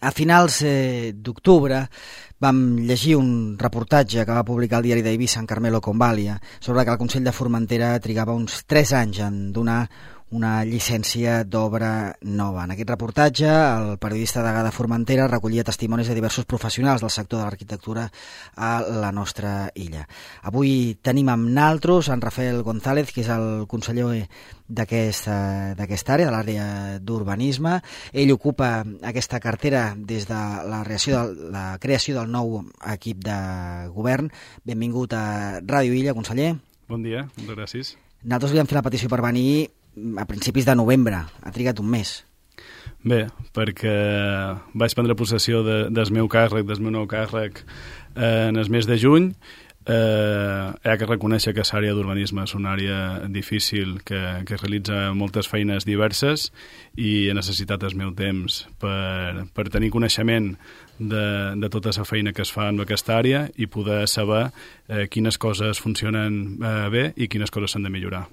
A finals d'octubre vam llegir un reportatge que va publicar el diari d'Eivissa, en Carmelo Convalia, sobre que el Consell de Formentera trigava uns 3 anys en donar una llicència d'obra nova. En aquest reportatge, el periodista degà de Formentera recollia testimonis de diversos professionals del sector de l'arquitectura a la nostra illa. Avui tenim amb naltros en Rafael González, que és el conseller d'aquesta àrea, de l'àrea d'urbanisme. Ell ocupa aquesta cartera des de la creació del nou equip de govern. Benvingut a Ràdio Illa, conseller. Bon dia, moltes gràcies. Nosaltres li vam fer la petició per venir a principis de novembre. Ha trigat un mes. Bé, perquè vaig prendre possessió del meu nou càrrec en el mes de juny. He de reconèixer que l'àrea d'urbanisme és una àrea difícil que realitza moltes feines diverses i he necessitat el meu temps per tenir coneixement de tota la feina que es fa en aquesta àrea i poder saber quines coses funcionen bé i quines coses s'han de millorar.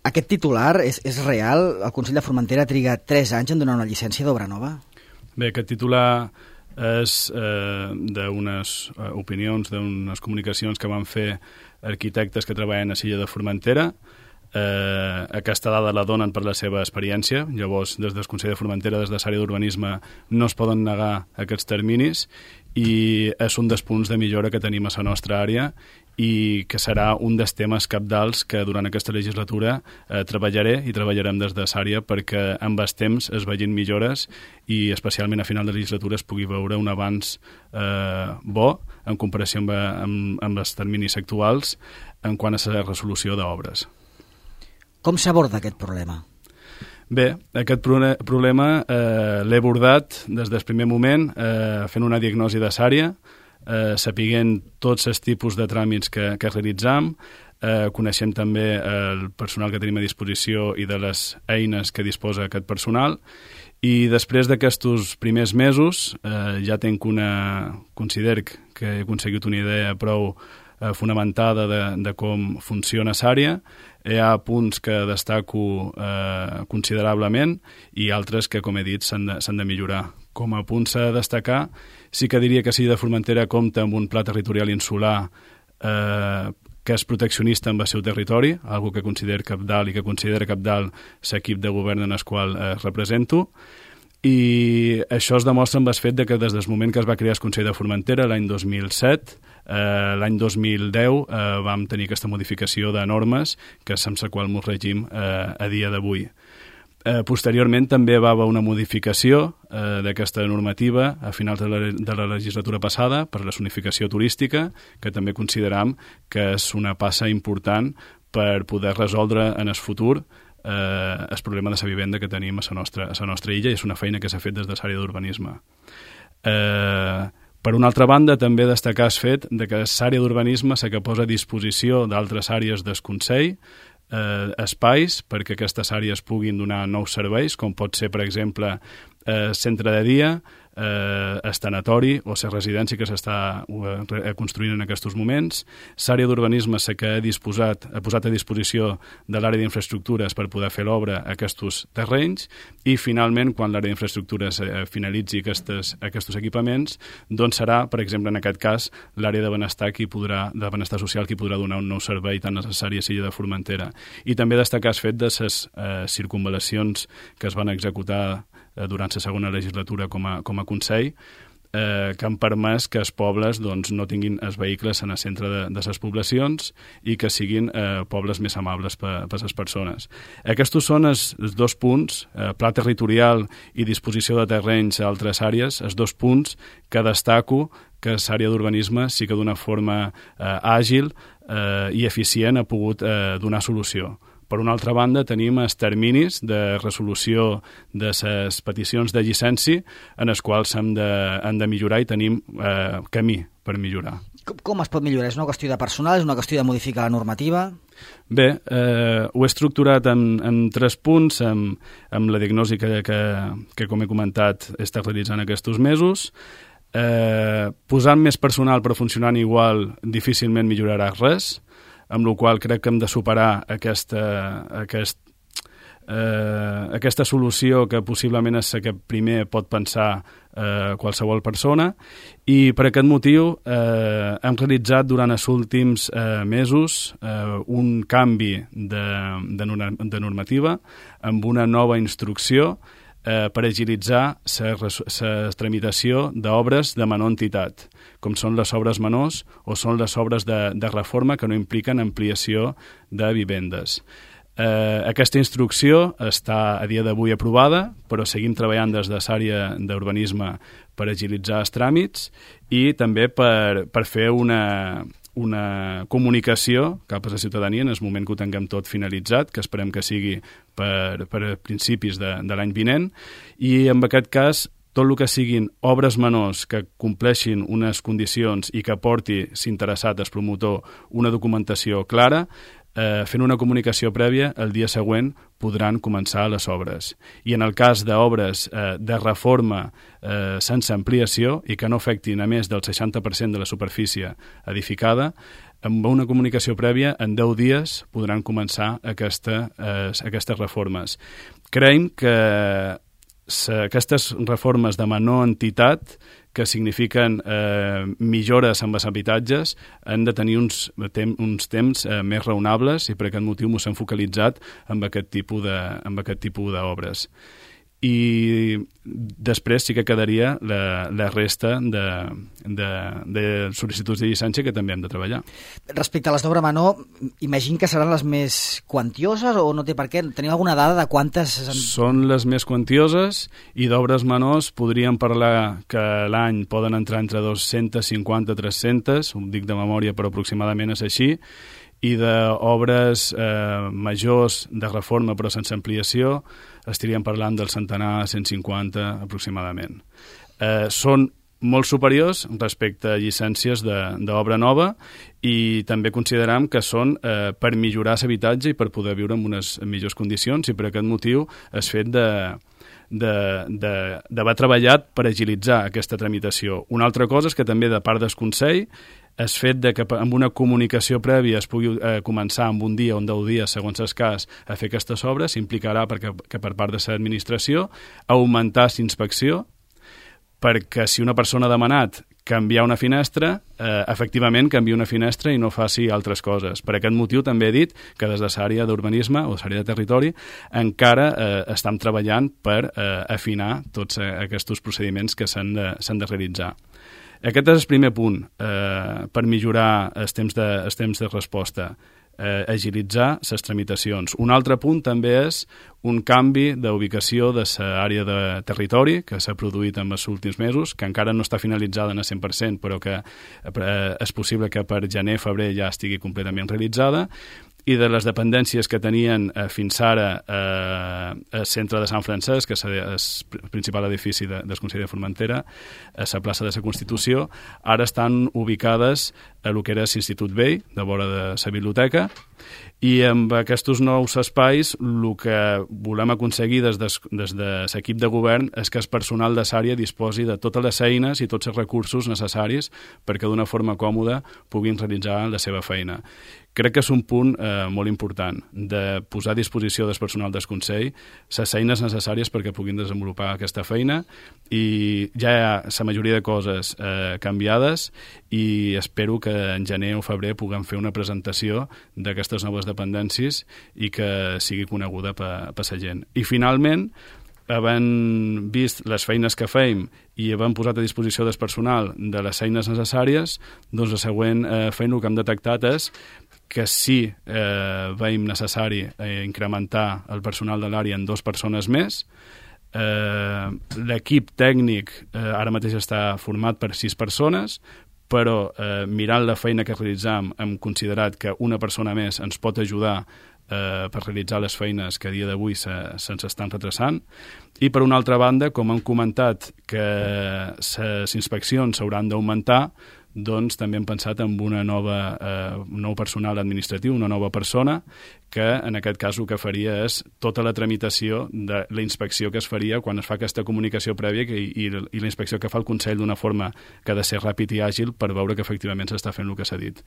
Aquest titular és real? El Consell de Formentera triga 3 anys en donar una llicència d'obra nova? Bé, aquest titular és d'unes opinions, d'unes comunicacions que van fer arquitectes que treballen a l'illa de Formentera. Aquesta dada la donen per la seva experiència. Llavors, des del Consell de Formentera, des de l'àrea d'urbanisme, no es poden negar aquests terminis i és un dels punts de millora que tenim a la nostra àrea i que serà un dels temes cabdals que durant aquesta legislatura treballarem des de l'àrea perquè amb el temps es vegin millores i especialment a final de legislatura es pugui veure un avanç bo en comparació amb els terminis actuals en quant a la resolució d'obres. Com s'aborda aquest problema? Bé, aquest problema l'he abordat des del primer moment fent una diagnosi de l'àrea, sapiguent tots els tipus de tràmits que realitzam, coneixem també el personal que tenim a disposició i de les eines que disposa aquest personal i després d'aquests primers mesos ja considero que he aconseguit una idea prou fonamentada de com funciona l'àrea. Hi ha punts que destaco considerablement i altres que, com he dit, s'han de millorar. Com a punts a destacar, sí que diria que l'illa de Formentera compta amb un pla territorial insular que és proteccionista amb el seu territori, algo que considero cabdal i que considera cabdal l'equip de govern en el qual represento. I això es demostra amb el fet que des del moment que es va crear el Consell de Formentera, l'any 2007, l'any 2010 vam tenir aquesta modificació de normes que és amb la qual ens regim a dia d'avui. Posteriorment també va haver una modificació d'aquesta normativa a finals de la legislatura passada per la zonificació turística, que també consideram que és una passa important per poder resoldre en el futur el problema de la vivenda que tenim a la nostra illa i és una feina que s'ha fet des de l'àrea d'urbanisme. Per una altra banda, també destacar el fet que l'àrea d'urbanisme és la que posa a disposició d'altres àrees del Consell espais perquè aquestes àrees puguin donar nous serveis, com pot ser, per exemple, centre de dia, el tanatori o la residència que s'està construint en aquests moments. L'àrea d'urbanisme és la que ha posat a disposició de l'àrea d'infraestructures per poder fer l'obra a aquests terrenys i, finalment, quan l'àrea d'infraestructures finalitzi aquests equipaments, doncs serà, per exemple, en aquest cas, l'àrea de benestar social qui podrà donar un nou servei tan necessari a l'illa de Formentera. I també destacar el fet de les circunvalacions que es van executar durant la segona legislatura com a Consell, que han permès que els pobles no tinguin els vehicles en el centre de les poblacions i que siguin pobles més amables per les persones. Aquests són els 2 punts, pla territorial i disposició de terrenys a altres àrees, els 2 punts que destaco que l'àrea d'urbanisme sí que d'una forma àgil i eficient ha pogut donar solució. Per una altra banda, tenim els terminis de resolució de les peticions de llicència en els quals han de millorar i tenim camí per millorar. Com es pot millorar? És una qüestió de personal? És una qüestió de modificar la normativa? Bé, ho he estructurat en 3 punts, amb la diagnosi que com he comentat, he estat realitzant aquests mesos. Posant més personal però funcionant igual difícilment millorarà res, amb la qual crec que hem de superar aquest aquesta solució que possiblement és la que primer pot pensar qualsevol persona, i per aquest motiu hem realitzat durant els últims mesos un canvi de normativa amb una nova instrucció per agilitzar la tramitació d'obres de menor entitat, com són les obres menors o són les obres de reforma que no impliquen ampliació de vivendes. Aquesta instrucció està a dia d'avui aprovada, però seguim treballant des de l'àrea d'urbanisme per agilitzar els tràmits i també per fer una comunicació cap a la ciutadania en el moment que ho tinguem tot finalitzat, que esperem que sigui per principis de l'any vinent, i en aquest cas tot el que siguin obres menors que compleixin unes condicions i que aporti, si interessat, el promotor, una documentació clara, fent una comunicació prèvia, el dia següent podran començar les obres. I en el cas d'obres de reforma sense ampliació i que no afectin a més del 60% de la superfície edificada, amb una comunicació prèvia, en 10 dies podran començar aquestes reformes. Creiem que aquestes reformes de menor entitat, que signifiquen millores amb els habitatges, han de tenir uns temps més raonables, i per aquest motiu ens hem focalitzat amb aquest tipus d'obres. I després sí que quedaria la resta de sol·licituds de llicència que també hem de treballar. Respecte a les d'obra menor, imagino que seran les més quantioses o no té per què? Teniu alguna dada de quantes? Són les més quantioses, i d'obres menors podríem parlar que l'any poden entrar entre 250 i 300, ho dic de memòria però aproximadament és així, i d'obres majors de reforma però sense ampliació estaríem parlant del centenar, 150 aproximadament. Són molt superiors respecte a llicències d'obra nova, i també consideram que són per millorar l'habitatge i per poder viure en unes millors condicions, i per aquest motiu el fet d'haver treballat per agilitzar aquesta tramitació. Una altra cosa és que també de part del Consell el fet de que amb una comunicació prèvia es pugui començar amb un dia o en 10 dies, segons el cas, a fer aquestes obres, implicarà que per part de l'administració augmentar l'inspecció, perquè si una persona ha demanat canviar una finestra, efectivament canvia una finestra i no faci altres coses. Per aquest motiu també he dit que des de l'àrea d'urbanisme o l'àrea de territori encara estem treballant per afinar tots aquests procediments que s'han de realitzar. Aquest és el primer punt per millorar els temps de resposta, agilitzar les tramitacions. Un altre punt també és un canvi d'ubicació de l'àrea de territori que s'ha produït en els últims mesos, que encara no està finalitzada en el 100%, però que és possible que per gener-febrer ja estigui completament realitzada, i de les dependències que tenien fins ara el centre de Sant Francesc, que és el principal edifici del Consell de Formentera, a la plaça de la Constitució, ara estan ubicades a lo que era l'Institut Vell, de vora de la biblioteca, i amb aquests nous espais el que volem aconseguir des de l'equip de govern és que el personal de l'àrea disposi de totes les eines i tots els recursos necessaris perquè d'una forma còmoda puguin realitzar la seva feina. Crec que és un punt molt important, de posar a disposició del personal del Consell les eines necessàries perquè puguin desenvolupar aquesta feina, i ja hi ha la majoria de coses canviades, i espero que en gener o febrer puguem fer una presentació d'aquestes noves dependències i que sigui coneguda per la gent. I finalment, havent vist les feines que feim i havent posat a disposició del personal de les eines necessàries, doncs la següent feina que hem detectat és que sí veiem necessari incrementar el personal de l'àrea en 2 persones més. L'equip tècnic ara mateix està format per 6 persones, però mirant la feina que realitzam hem considerat que una persona més ens pot ajudar per realitzar les feines que a dia d'avui se'ns estan retrasant. I per una altra banda, com hem comentat que les inspeccions s'hauran d'augmentar, doncs també hem pensat en un nou personal administratiu, una nova persona, que en aquest cas el que faria és tota la tramitació de la inspecció que es faria quan es fa aquesta comunicació prèvia i la inspecció que fa el Consell d'una forma que ha de ser ràpid i àgil per veure que efectivament s'està fent el que s'ha dit.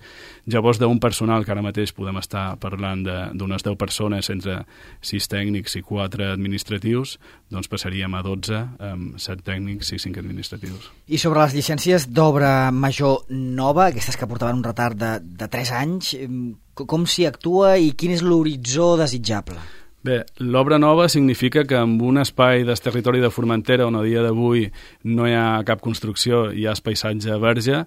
Llavors, d'un personal que ara mateix podem estar parlant d'unes 10 persones entre 6 tècnics i 4 administratius, doncs passaríem a 12 amb 7 tècnics i 5 administratius. I sobre les llicències d'obra major nova, aquestes que portaven un retard de 3 anys, com s'hi actua i quin és l'horitzó desitjable? Bé, l'obra nova significa que en un espai del territori de Formentera on a dia d'avui no hi ha cap construcció, hi ha paisatge verge,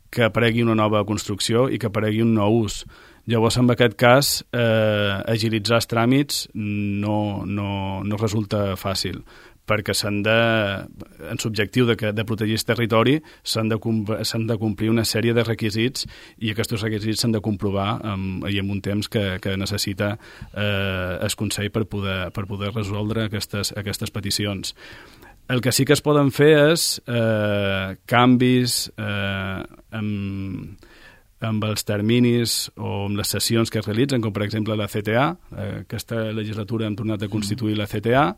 que aparegui una nova construcció i que aparegui un nou ús. Llavors, en aquest cas, agilitzar els tràmits no resulta fàcil, perquè en l'objectiu de protegir el territori s'han de complir una sèrie de requisits i aquests requisits s'han de comprovar i en un temps que necessita el Consell per poder resoldre aquestes peticions. El que sí que es poden fer és canvis amb els terminis o amb les sessions que es realitzen, com per exemple la CTA. Aquesta legislatura hem tornat a constituir la CTA.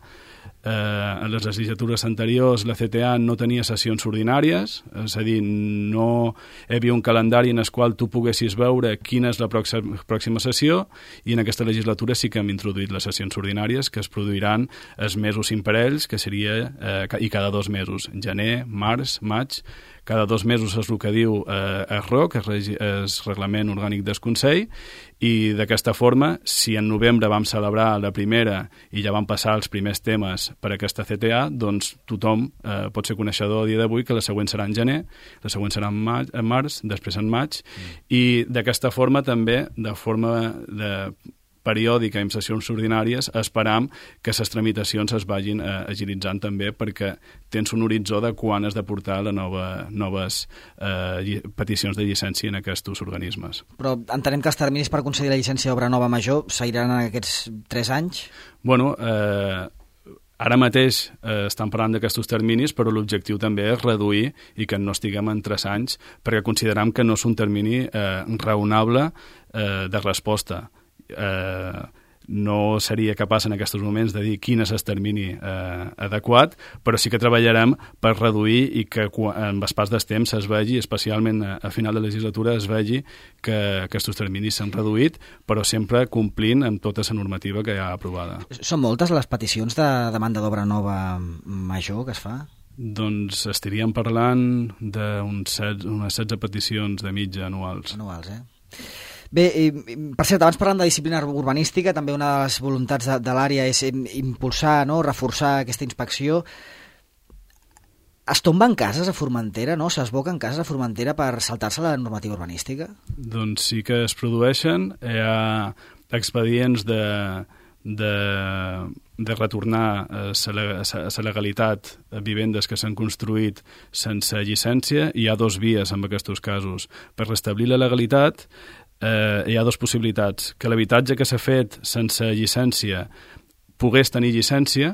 En les legislatures anteriors la CTA no tenia sessions ordinàries, és a dir, no hi havia un calendari en el qual tu poguessis veure quina és la pròxima sessió, i en aquesta legislatura sí que hem introduït les sessions ordinàries, que es produiran els mesos imparells, que seria i cada 2 mesos, gener, març, maig. Cada 2 mesos és el que diu el ROC, el Reglament Orgànic del Consell, i d'aquesta forma, si en novembre vam celebrar la primera i ja van passar els primers temes per aquesta CTA, doncs tothom pot ser coneixedor a dia d'avui que la següent serà en gener, la següent serà en març, després en maig, i d'aquesta forma també, de forma periòdica i amb sessions ordinàries, esperam que les tramitacions es vagin agilitzant també, perquè tens un horitzó de quan has de portar les noves peticions de llicència en aquests organismes. Però entenem que els terminis per concedir la llicència d'obra nova major seguiran en aquests 3 anys? Bueno, ara mateix estan parlant d'aquests terminis, però l'objectiu també és reduir i que no estiguem en 3 anys, perquè consideram que no és un termini raonable de resposta. No seria capaç en aquests moments de dir quin és el termini adequat, però sí que treballarem per reduir i que amb el pas del temps es vegi, especialment a final de legislatura, es vegi que aquests terminis s'han reduït, però sempre complint amb tota la normativa que hi ha aprovada. Són moltes les peticions de demanda d'obra nova major que es fa? Doncs estaríem parlant d'unes 16 peticions de mitja anuals. Anuals, Bé, per cert, abans parlant de disciplina urbanística, també una de les voluntats de l'àrea és impulsar, reforçar aquesta inspecció. Es tomben cases a Formentera, s'esboquen cases a Formentera per saltar-se la normativa urbanística? Doncs sí que es produeixen. Hi ha expedients de retornar a la legalitat a vivendes que s'han construït sense llicència. Hi ha 2 vies en aquests casos. Per restablir la legalitat hi ha 2 possibilitats: que l'habitatge que s'ha fet sense llicència pogués tenir llicència,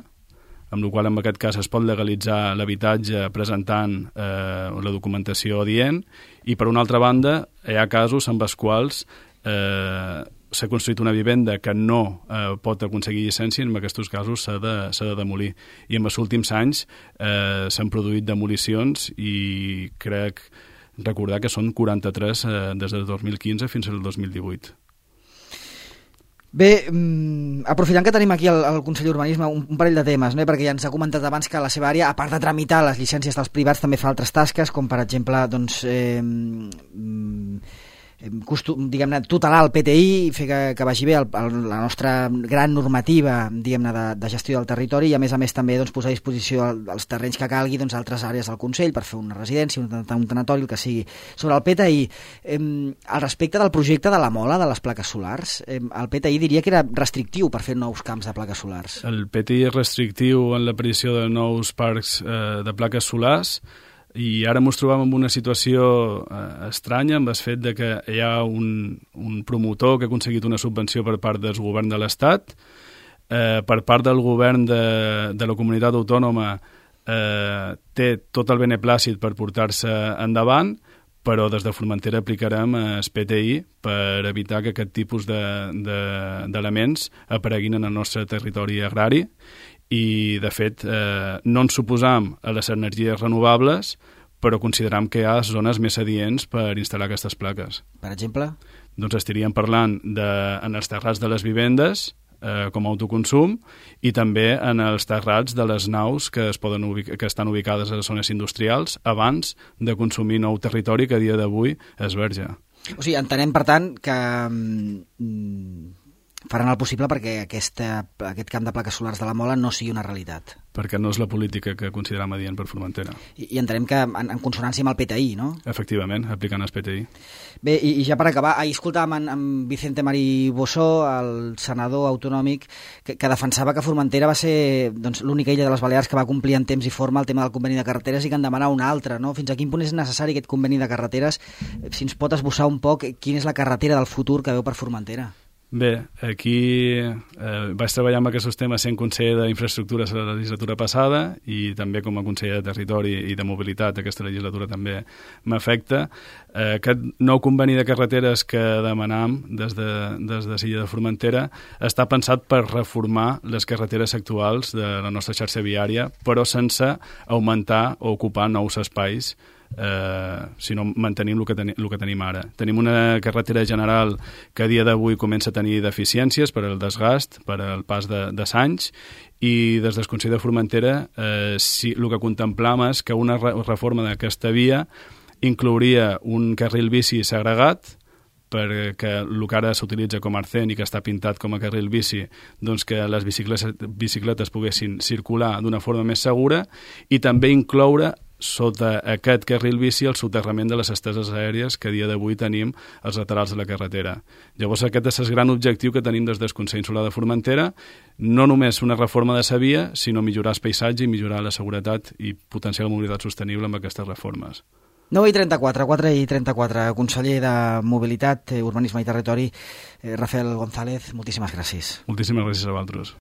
amb la qual en aquest cas es pot legalitzar l'habitatge presentant la documentació adient, i per una altra banda hi ha casos en els quals s'ha construït una vivenda que no pot aconseguir llicència, i en aquests casos s'ha de demolir. I en els últims anys s'han produït demolicions i crec recordar que són 43 des del 2015 fins al 2018. Bé, aprofitant que tenim aquí el Consell d'Urbanisme, un parell de temes, perquè ja ens ha comentat abans que la seva àrea, a part de tramitar les llicències dels privats, també fa altres tasques, com per exemple diguem-ne, tutelar el PTI i fer que vagi bé la nostra gran normativa, diguem-ne, de gestió del territori, i a més també posar a disposició els terrenys que calgui altres àrees del Consell per fer una residència, un tanatori, el que sigui. Sobre el PTI, al respecte del projecte de la Mola, de les plaques solars, el PTI diria que era restrictiu per fer nous camps de plaques solars. El PTI és restrictiu en l'aparició de nous parcs de plaques solars, i ara ens trobem en una situació estranya amb el fet de que hi ha un promotor que ha aconseguit una subvenció per part del govern de l'Estat, per part del govern de la comunitat autònoma té tot el beneplàcit per portar-se endavant, però des de Formentera aplicarem el PTI per evitar que aquest tipus d'elements apareguin en el nostre territori agrari i, de fet, no ens suposam a les energies renovables, però consideram que hi ha zones més adients per instal·lar aquestes plaques. Per exemple? Doncs estaríem parlant en els terrats de les vivendes, com a autoconsum, i també en els terrats de les naus que estan ubicades a les zones industrials abans de consumir nou territori que a dia d'avui és verge. O sigui, entenem, per tant, que faran el possible perquè aquest camp de plaques solars de la Mola no sigui una realitat. Perquè no és la política que consideram adient per Formentera. I entenem que en consonància amb el PTI, no? Efectivament, aplicant el PTI. Bé, i ja per acabar, ahir escoltàvem en Vicente Mari Bossó, el senador autonòmic, que defensava que Formentera va ser l'única illa de les Balears que va complir en temps i forma el tema del conveni de carreteres i que en demanava un altre, no? Fins a quin punt és necessari aquest conveni de carreteres? Si ens pot esbossar un poc quina és la carretera del futur que veu per Formentera? Bé, aquí vaig treballar amb aquests temes sent conseller d'Infraestructures a la legislatura passada i també com a conseller de Territori i de Mobilitat aquesta legislatura també m'afecta. Aquest nou conveni de carreteres que demanam des de Silla de Formentera està pensat per reformar les carreteres actuals de la nostra xarxa viària, però sense augmentar o ocupar nous espais, sinó mantenim el que tenim ara. Tenim una carretera general que a dia d'avui comença a tenir deficiències per al desgast, per al pas de anys, i des del Consell de Formentera el que contemplam és que una reforma d'aquesta via inclouria un carril bici segregat, perquè el que ara s'utilitza com a arcén i que està pintat com a carril bici, doncs que les bicicletes poguessin circular d'una forma més segura, i també incloure sota aquest carril bici el soterrament de les esteses aèries que a dia d'avui tenim als laterals de la carretera. Llavors aquest és el gran objectiu que tenim des del Consell Insular de Formentera, no només una reforma de la via, sinó millorar el paisatge i millorar la seguretat i potenciar la mobilitat sostenible amb aquestes reformes. 9:34, 4:34, conseller de Mobilitat, Urbanisme i Territori, Rafael González, moltíssimes gràcies. Moltíssimes gràcies a vosaltres.